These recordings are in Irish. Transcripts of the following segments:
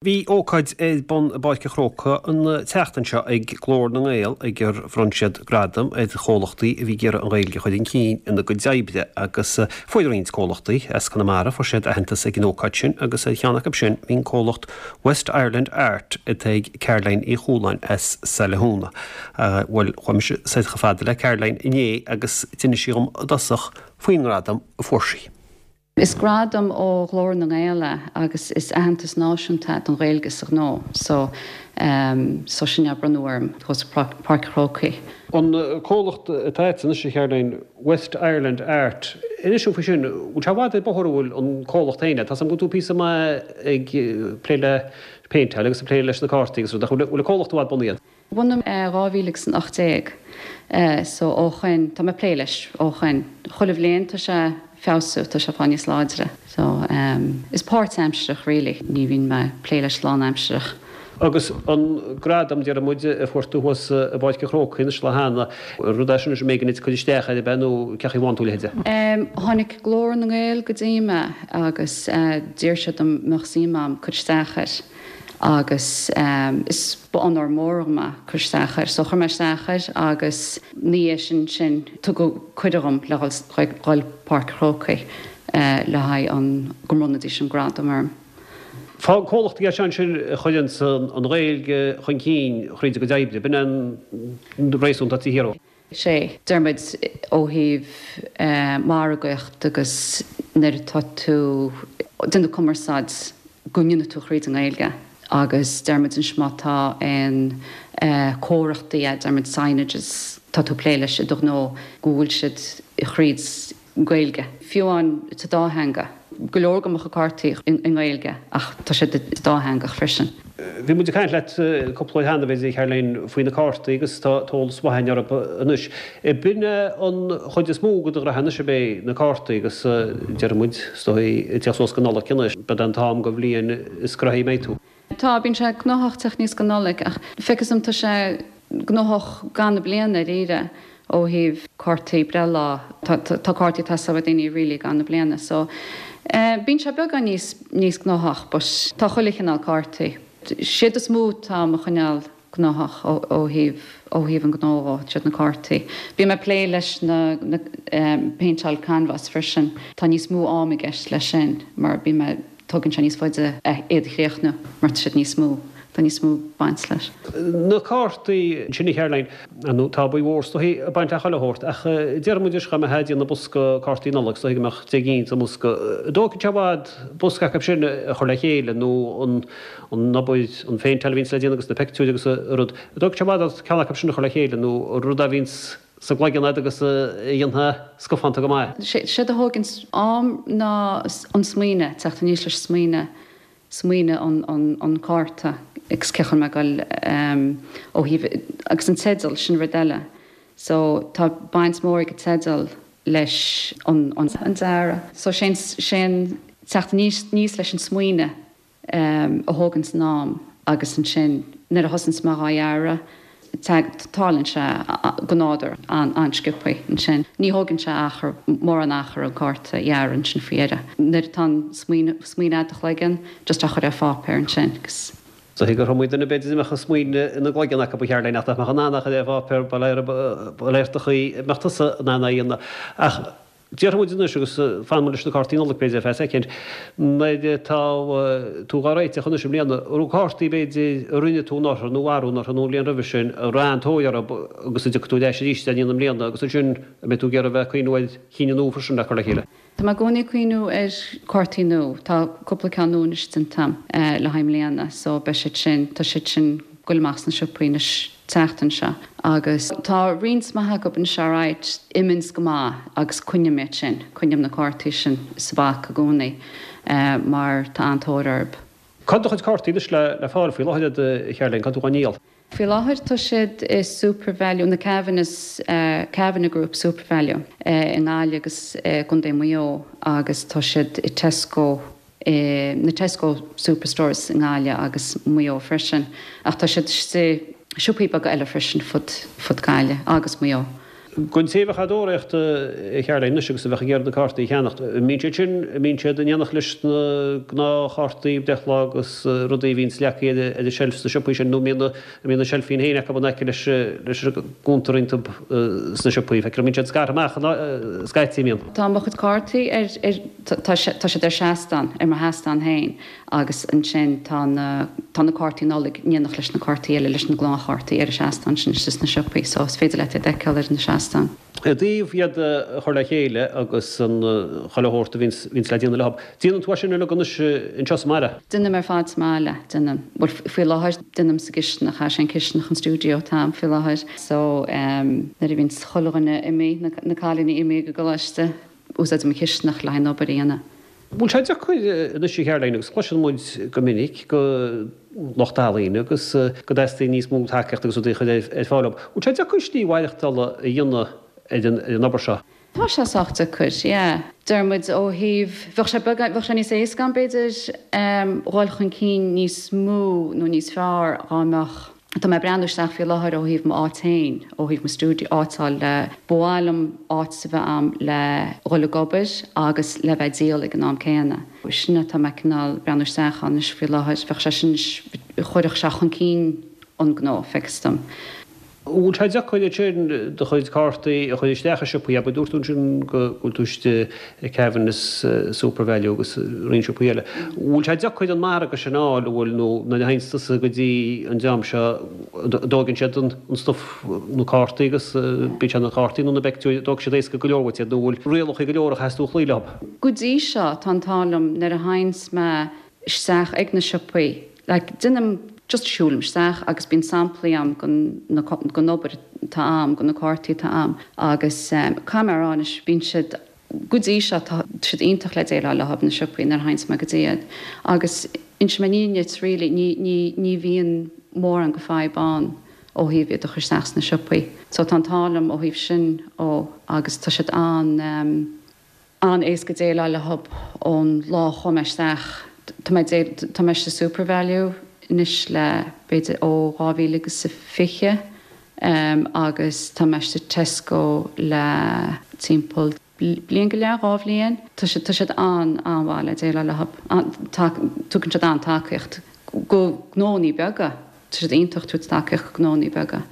Bhí ócáid ar bun i bPáirc an Chrócaigh an tseachtain seo ag Glór na nGael ag ar bhronn siad gradaim ar chomhlachtaí a bhí ag iarraidh an Ghaeilge a chur chun cinn ina gcuid oibre agus fuair roinnt comhlachtaí as Conamara, fuair siad aitheantas ag an ócáid sin agus ar cheann acu sin bhí an comhlacht West Ireland Art atá ag Caroline Uí Chualáin as Saile Thúna. Bhuel, chuaigh mise soir chomh fada le Caroline inné agus d'inis sí dhom i dtosach faoin ngradam a fuair sí. Is gradam ó Ghlór na nGael é agus is aitheantas náisiúnta don Ghaeilge sa ghnó so so sin é a bronnadh orm thuas i Páirc an Chrócaigh. An comhlacht atá agat anois a Charoline, West Ireland Art, inis dúinn faoi sin, bhfuil sé i bhfad ar bóthar an bhfuil an comhlacht féin? Tá 's agam go bhfuil tú píosa maith ag plé le péinteáil agus ag plé leis na cártaí agus rud ach bhfuil an comhlacht i bhfad bunaithe? Bunaithe i 2018 so ó shoin, tá mé ag plé leis ó shoin. Chuile bhliain tá sé ag feabhsú, tá sé ag fáil níos láidre. So is páirtaimsearach really, ní bhíonn mé ag plé leis lánaimsearach. Agus an gradam, déarfaidh muid, a fuair tú thuas i bPáirc an Chrócaigh anois lá cheana, rud é sin anois a mbeidh ag cur isteach air, ab ea, nó cén chaoi a bhfaigheann tú a leithéid de? Tháinig Glór na nGael go dtí mé agus d'iarr siad an mbeadh suim a'm cur isteach air. agus is ba onóir mór dhom é cur isteach air. So chuir mé isteach air agus ina dhiaidh sin sin tugadh cuireadh dhom le dhul dhul Páirc an Chrócaigh le haghaidh an go mbronnfaidís an gradam orm. Fá comhlachtaí é seo ansin a chuireanns an Ghaeilge chun cinn thríd a gcuid oibre, b'in é an réasún atá taobh thiar. Sea, deir muid ó thaobh margaíocht agus nuair atá tú ag déanamh cumarsáid go ndéanfaidh tú thríd an nGaeilge agus deir muid anois má tá aon comharthaí, deir muid signages, tá tú ag plé leis i do ghnó go bhfuil siad thríd Gaeilge. Fiú amháin sa dá theanga. Go leor de mo chuid cártaí i nGaeilge ach tá siad dátheangach freisin. Bhí muid ag caint leat cúpla uair cheana, b'fhéidir, a Charoline, faoi na cártaí agus tá eolas maith againn orthu anois. B'in é an chuid is mó de do ghraithe anois, ab é, na cártaí agus déarfaidh muid, is dóigh, ag teacht suas go Nollaig anois, b'in é an t-am den bhliain is gnoithí a mbeidh tú. Tá, bíonn sé gnóthach teacht aníos go Nollaig ach feictear dom tá sé gnóthach i gcaitheamh na bliana dáiríre ó thaobh cártaí breithlá, tá tá cártaí ag teastáil ó daoine really i gcaitheamh na bliana so bíonn sé beagán níos níos gnóthach but tá chuile chineál cártaí. Siad is mó atá mo choinneáil gnóthach ó ó thaobh ó thaobh an gnó dhó, siad na cártaí. Bíonn mé ag plé leis na na péinteáil canbhás freisin, tá níos mó am i gceist leis sin mar bíonn mé Tógann sé níos faide iad a chríochnú mar tá siad níos mó, tá níos mó baint leis. Na cártaí sin a Charoline, ar ndóigh tá obair mhór is dóichí ag baint le chuile shórt ach déarfaidh muid anois dá mbeifeá ag déanamh bosca cártaí Nollag is dóichí go mbeadh 10 gcinn sa mbosca. An dtógann sé i bhfad bosca acu sin a chur le chéile nó an an obair, an phéinteáil a bhíonns le déanamh agus na pictiúir agus an rud. An dtógann sé i bhfad ort ceann acu sin a chur le chéile nó rud a bhíonns sa gcloigeann agat agus a dhéanfá scafánta go maith. Séard a thógann am ná an smaoineamh, teacht aníos leis an smaoineamh, smaoineamh an an cárta agus cén chaoi a mbeidh ag dul ó thaobh, agus an teideal, sin rud eile. So tá baint mhór ag an teideal leis an an dearadh. So sé an teacht aníos leis an smaoineamh a thógann san am agus ansin nuair a thosaíonns mé dhá dhearadh tarlaíonn sé go nádúrtha an-sciobthaí ansin. Ní thógann sé achar, mórán achar an cárta a dhearadh ansin faoi dheireadh. Nuair atá an smaoineamh i do chloigeann, just á chur ar pháipéar ansin agus. Is dóichí gur iomaí duine b'fhéidir a mbeadh an smaoineamh ina gcloigeann acu a Charoline ach nach mbeadh in ann é a chur ar pháipéar, ba léir do chaoi a mbeadh tusa in ann é a dhéanamh. Ach Déarfaidh muid anois, agus fanfaidh muid leis na cártaí Nollag b'fhéidir ar feadh soicind, nuair atá tú dhá réiteach anois i mbliana, an raibh cártaí b'fhéidir a rinne tú anuraidh nó arú anuraidh nó an bhliain roimhe sin a raibh an-tóir orthu agus a dtiocfaidh tú ar ais arís i ndiaidh na mbliana agus ansin an mbeidh tú ag iarraidh a bheith ag cuimhniú ar chinn nua freisin le cur le chéile? Tá mé i gcónaí ag cuimhniú ar cártaí nua. Tá cúpla ceann nua anois déanta agam le haghaidh i mbliana so beidh siad sin, tá siad sin ag goil amach sna siopaí anois. tseachtain seo agus tá roinnt maith acu anois alright, imíonns go maith agus coinním iad sin, coinním na cártaí sin sa bpaca i gcónaí mar tá an-tóir orthu. Cá bhfuil do chuid cártaí anois le fáil faoi láthair a Charoline, cá bhfuil tú á ndíol? Faoi láthair tá siad i Supervalu, na Kavanaghs, Kavanagh Group Supervalu i nGaillimh agus i gContae Mhaigh Eo agus tá siad i Tesco i na Tesco Superstores i nGaillimh agus Maigh Eo freisin, ach tá siad istigh i siopaí beaga eile freisin fud fud Gaillimh agus Maigh Eo. Don té a bheadh á dtóraíocht a Charoline anois agus a bheadh ag iarraidh na cártaí a cheannacht, an mbíonn siad sin, an mbíonn siad in éineacht leis na gnáthchártaí breithlá agus rudaí a bhíonns leagtha ar an tseilf sna siopaí sin nó an mbíonn an mbíonn na seilfín féin acu in aice leis leis an gcuntar iontu sna siopaí? Feictear an mbíonn siad scartha amach scaití, an mbíonn? Tá mo chuid cártaí ar ar tá tá siad ar seastán, ar mo sheastán féin. Agus ansin tá na, tá na cártaí Nollag in éineacht leis na cártaí eile, leis na gnáthchártaí ar an seastán sin istigh sna siopaí. So is féidir leat iad a fheiceáil ar na seastáin. I dtaobh iad a chur le chéile agus an chuile shórt a bhíonns, bhíonns le déanamh leo, déanann tú é sin uilig anois anseo sa mbaile? Déanaim ar fad sa mbaile, déanaim. Bhuel faoi láthair déanaim sa gcisteanach, is é an cisteanach an stiúideo atá a'm faoi láthair. So nuair a bhíonns chuile dhuine imithe, na, na cailíní imithe go coláiste, úsáidim an chisteanach le haghaidh an obair a dhéanamh. Bhfuil sé deacair anois a Charoline, agus cloiseann muid go minic go lucht ealaíne agus go dteastaíonn níos mó tacaíochta agus rudaí a chur ar fáil dóibh. Bhfuil sé deacair slí mhaireachtála a dhéanamh ar an obair seo? Tá sé sách deacair, yeah. Deir muid ó thaobh, bheadh sé beagán, bheadh sé níos éasca ann b'fhéidir dhul chun cinn níos mó nó níos fearr dhá mbeadh, Tá mé ag breathnú isteach faoi láthair ó thaobh m'áit féin, ó thaobh mo stiúideo, áit a fháil le, ba mhaith liom áit a bheith a'm le dhul ag obair agus le bheith ag díol ag an am céanna. Sin atá mé cineál breathnú isteach ann anois faoi láthair. Bheadh sé sin, chuirfeadh sé chun cinn an gnó, feictear dom. Bhfuil sé deacair ansin do chuid cártaí a chur isteach i siopaí, abair, dúirt tú ansin go bhfuil tú istigh i Kavanagh, Supervalu agus roinnt siopaí eile. Bhfuil sé deacair an margadh sin a fháil, an bhfuil, nó nuair a théanns tusa go dtí an dream seo, an dtóigeann siad an stuif, na cártaí agus bíodh sé na cártaí nó na pictiúir, an dtógfaidh siad éasca go leor uait iad nó bhfuil rialacha go leor a chaithfeas tú a chloí leo? Go dtí seo, tá an t-ádh liom, nuair a théanns mé isteach ag na siopaí, like, déanaim, just siúlaim isteach agus bíonn samplaí a'm den, na, den obair atá a'm, de na cártaí atá a'm agus eh, caithfidh mé a rá anois, bíonn siad, go dtí seo, tá siad iontach le déileáil leo na siopaí nuair a théanns mé go dtí iad agus inseoidh mé an fhírinne duit really, ní, ní, ní bhíonn mórán de fadhb ann ó thaobh iad a chur isteach sna siopaí. So tá an t-ádh liom ó thaobh sin ó agus tá siad an, eh, an-éasca déileáil leo ón lá a chuaigh mé isteach. Tá mé tá mé sa Supervalu anois le b'fhéidir ó 2000 agus a 20 agus tá mé sa Tesco le timpeall bliain go leith, 2 bhliain. Tá siad tá siad an-an-mhaith le déileáil leo. Tugann siad an-tacaíocht go gnónnaí beaga. Tá siad iontach ag tabhairt tacaíocht go gnónnaí beaga.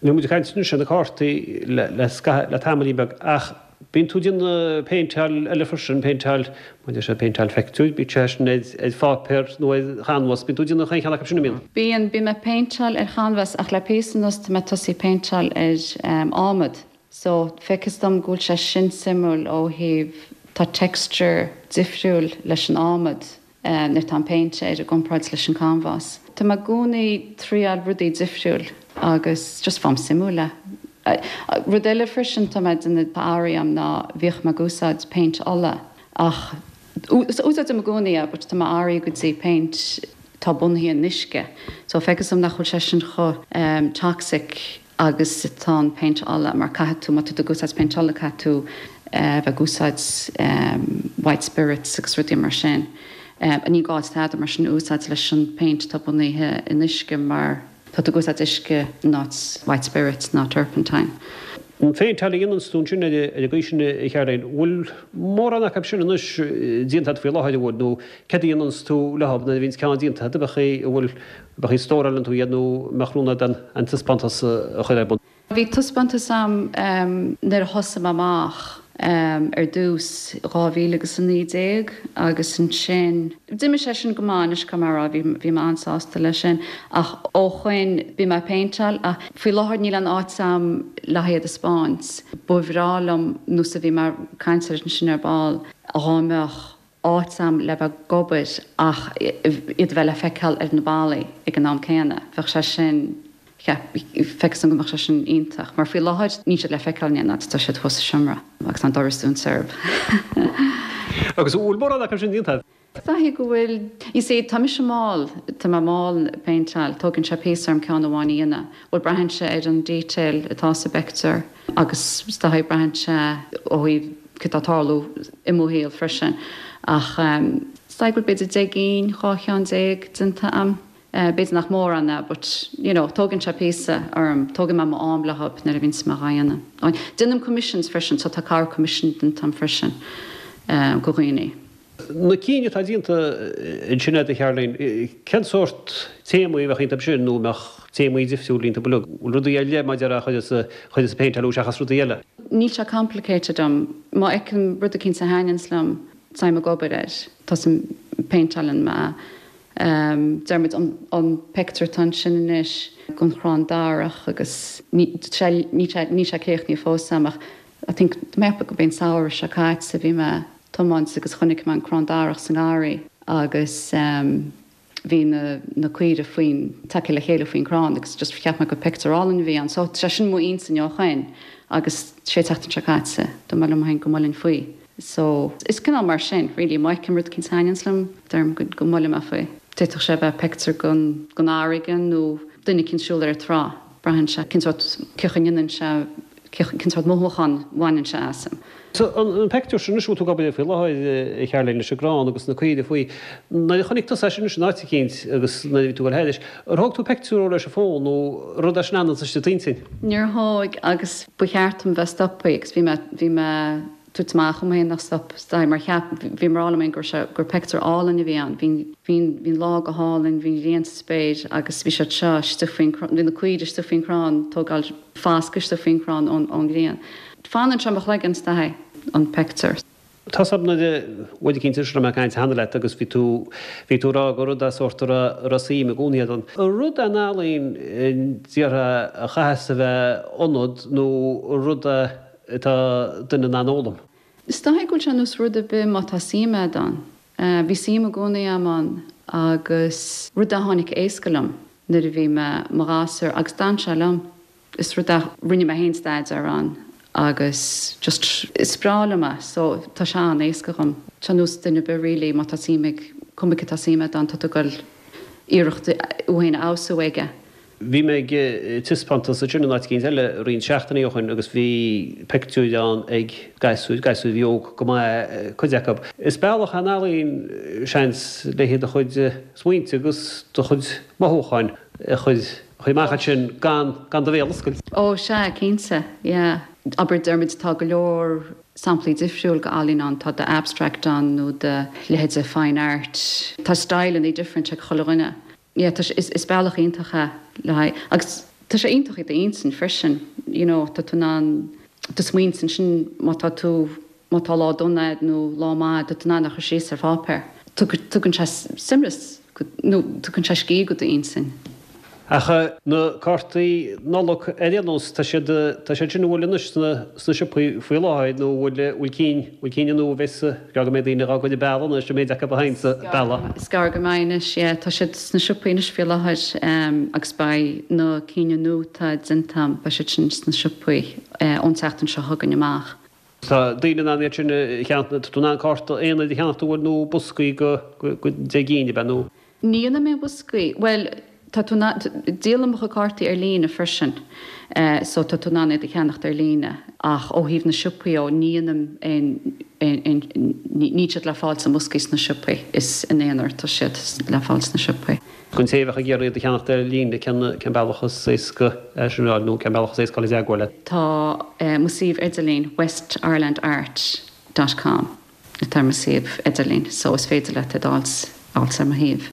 Níl muid ag caint anois ar na cártaí le le tamaillín beag ach bíonn tú ag déanamh péinteáil eile freisin, péinteáil, mar a deir siad, péinteáil phictiúir, bíodh sé sin ar ar pháipéar nó ar chanbhás, bíonn tú ag déanamh chaon cheann acu sin, an mbíonn? Bíonn, bíonn mé ag péinteáil ar chanbhás ach le píosa anuas tá mé tosaithe ag péinteáil ar adhmad. So, feictear dom go bhfuil sé sin suimiúil ó thaobh, tá texture difriúil leis an adhmad. nuair atá an péint air i gcomparáid leis an canbhás. Tá mé i gcónaí triáil rudaí difriúil agus just faighim suimiúil é. Rud eile freisin tá mé ag déanamh tá athraithe a'm ná bhíodh mé ag úsáid péint ola ach úsáidim i gcónaí é but tá mé athraithe go dtí péint atá bunaithe in uisce so feictear dom nach bhfuil sé sin chomh toxic agus atá an péint ola mar caithfidh tú, má tá tú ag úsáid péint ola caithfidh tú bheith ag úsáid white spirits agus rudaí mar sin. Ní gá tada mar sin a úsáid leis an péint atá bunaithe in uisce mar tá tú ag úsáid uisce in áit white spirits ná turpentine. An phéinteáil a dhéananns tú ansin ar an gcaoi sin a Charoline, bhfuil mórán acu sin anois déanta agat faoi láthair, an bhfuil, nó céard a dhéananns tú leo nuair a bhíonns ceann déanta agat, ab ea, an bhfuil Ab ea, stórálann tú iad nó an mbeadh rún agat an taispeántas a chur ar bun? Bhí taispeántas a'm nuair a thosaigh mé amach ar dtús, 2000 agus 19 agus ansin d'imigh sé sin go maith anois caithfidh mé a rá, bhí bhí mé an-sásta leis sin ach ó shoin bhí mé ag péinteáil ach faoi láthair níl aon áit a'm le haghaidh iad a 'spáint. Ba bhreá liom nós a bhí mé ag caint air ansin ar ball dhá mbeadh áit a'm le bheith ag obair ach iad a bheith le feiceáil ar na ballaí ag an am céanna. Bheadh sé sin, feictear dom go mbeadh sé sin iontach. Mar faoi láthair níl siad le feiceáil in aon áit, tá siad thuas sa seomra agus tá an doras dúnta orthu. Agus an bhfuil mórán acu sin déanta agat? Is dóichí go bhfuil. You see, tá mise mall, tá mé mall ag péinteáil, tógann sé píosa orm ceann amháin a dhéanamh. Bhuel, braitheann sé ar an detail atá sa bpictiúr agus is dóichí braitheann sé ó thaobh céard atá ag tarlú i mo shaol freisin. Ach is dóigh go bhfuil b'fhéidir 10 gcinn, 12 cheann déanta a'm. B'fhéidir nach mórán é but, you know, tógann sé píosa orm, tógann mé m'am leo nuair a bhíonns mé dhá dhéanamh. Déanaim commissions freisin, so tá corr commission déanta agam freisin go dhaoine. Na cinn atá déanta ansin agat a Charoline, cén sórt téamaí a bheadh iontu sin nó an mbeadh téamaí difriúla iontu uilig? Bhfuil rudaí ar leith mar a déarfá a chuireas a phéinteáil orthu seachas rudaí eile? Níl sé complicated dom. Má fheicim rud eicínt a thaitníonns liom, táim ag obair air. Tosaím, péinteálann mé. Deir muid an pictiúr atá ansin anois den chrann darach agus níl sé níl sé críochnaithe fós agam ach I think mé ag ceapadh gurb é an samhradh seo caite bhí mé ag tiomáint agus chonaic mé an crann darach sa ngarraí agus bhí na na caoire faoin tagtha le chéile faoin crann agus just cheap mé gur pictiúr álainn a bhí ann so tá sé sin i m'intinn ó shoin agus sé an tseachtain seo caite dúirt mé liom féin go mbuailfinn faoi. So, is cineál mar sin, really, má fheicim rud eicínt a thaitníonns liom, deirim go go mbuailfidh mé faoi. D'fhéadfadh sé a bheith pictiúr den den fharraige nó duine eicínt ag siúl ar an trá, braitheann sé cén sórt, cén chaoi a ndéanann sé, cén sórt mothúchán a bhaineann sé asam. So, an pictiúr sin anois a bhfuil tú ag obair air faoi láthair, a Charoline, leis an gcrann agus na caoire faoi, nuair a chonaic tusa é sin anois in áit eicínt agus nuair a bhí tú ag dul thairis, ar thóg tú pictiúr leis an bhfón nó rud é sin a fhananns istigh i d'intinn? Níor thóg agus ba cheart dom bheith stoptha agus bhí mé, bhí mé, tabhairt amach dhom féin nach stop stop mar cheap bhí mé ag rá liom féin go raibh sé gur pictiúr álainn a bhí ann bhí bhí bhí an lá go hálainn bhí an ghrian sa spéir agus bhí siad seo istigh faoin bhí na caoire istigh faoin chrann tógáil foscadh istigh faoin chrann ón ón ghrian. Fanann sé i mo chloigeann is dóigh an pictiúr. Tá 's agam nuair a uair eicínt a raibh mé ag caint cheana leat agus bhí tú bhí tú ag rá gur rud é sórt a raibh a raibh suim i gcónaí agat ann. Rud é an ealaín déarfá a chaithfeas a bheith ionat nó rud é atá duine in ann a fhoghlaim. Is dóigh go bhfuil sé ar nós rud ar bith má tá suim agat ann. Bhí suim i gcónaí agam ann agus rud a tháinig éasca liom nuair a bhí mé mo ghasúr agus d'fhan sé liom. Is rud a rinne mé féin staidéar ann agus just is breá liom é so tá sé an-éasca dhom. Tá nós duine ar bith really má tá suim ag, cuma cé tá suim agat ann tá tú ag dul iarracht thú féin a fheabhsú aige. Bhí mé ag taispeántas ansin in áit eicínt eile roinnt seachtainí ó shin agus bhí pictiúir ann ag gasúir, gasúir a bhí óg go maith cuid acu. Is bealach é an ealaín, seans, le do chuid smaointe agus do chuid mothúcháin a chur amach ansin gan gan do bhéal a oscailt. Ó sea, cinnte, yeah. Abair, deir muid tá go leor samplaí difriúil de ealaín ann, tá de abstract ann nó de leithéide fine art. Tá styleanna different ag chuile dhuine. Yeah, tá sé, is, is bealach iontach é le haghaidh, agus tá sé iontach i d'intinn freisin, you know, tá tú in ann do smaointe ansin má tá tú, má tá lá dona agat nó lá maith, tá tú in ann a chur síos ar pháipéar. Tugann sé suaimhneas nó tugann sé scíth go d'intinn. Ach na cártaí Nollag ar aon nós, tá siad, tá siad sin an bhfuil anois sna, sna siopaí faoi láthair nó an bhfuil, bhfuil cinn, bhfuil cinn nua a bheas, is gearr go mbeidh daoine dhá gcur ar bealach anois, an méid acu a théann sa bealach. Is gearr go mbeidh anois, yeah, tá siad sna siopaí anois faoi láthair agus beidh na cinn nua atá déanta agam, beidh siad sin sna siopaí ón tseachtain seo chugainn amach. Tá daoine in ann iad sin a cheannacht, tá tú in ann cárta aonair a cheannacht an bhfuil nó boscaí go, go 10 gcinn, ab ea, nó? Ní dhéanaim aon bhoscaí. Bhuel, tá tú in ann, díolaim mo chuid cártaí ar líne freisin so tá tú in ann iad a cheannacht ar líne ach ó thaobh na siopaí ó, ní dhéanaim aon, aon, níl siad le fáil sna mboscaí sna siopaí, is in aonar atá siad le fáil sna siopaí. Don té a bheadh ag iarraidh iad a cheannacht ar líne, cén, cén bealach is éasca é sin a fháil nó cén bealach is éasca dul i dteagmháil leat? Tá mo suíomh idirlín westirelandart dot com. Atá ar mo suíomh idirlín so is féidir leat iad a fháilt ar mo shuíomh.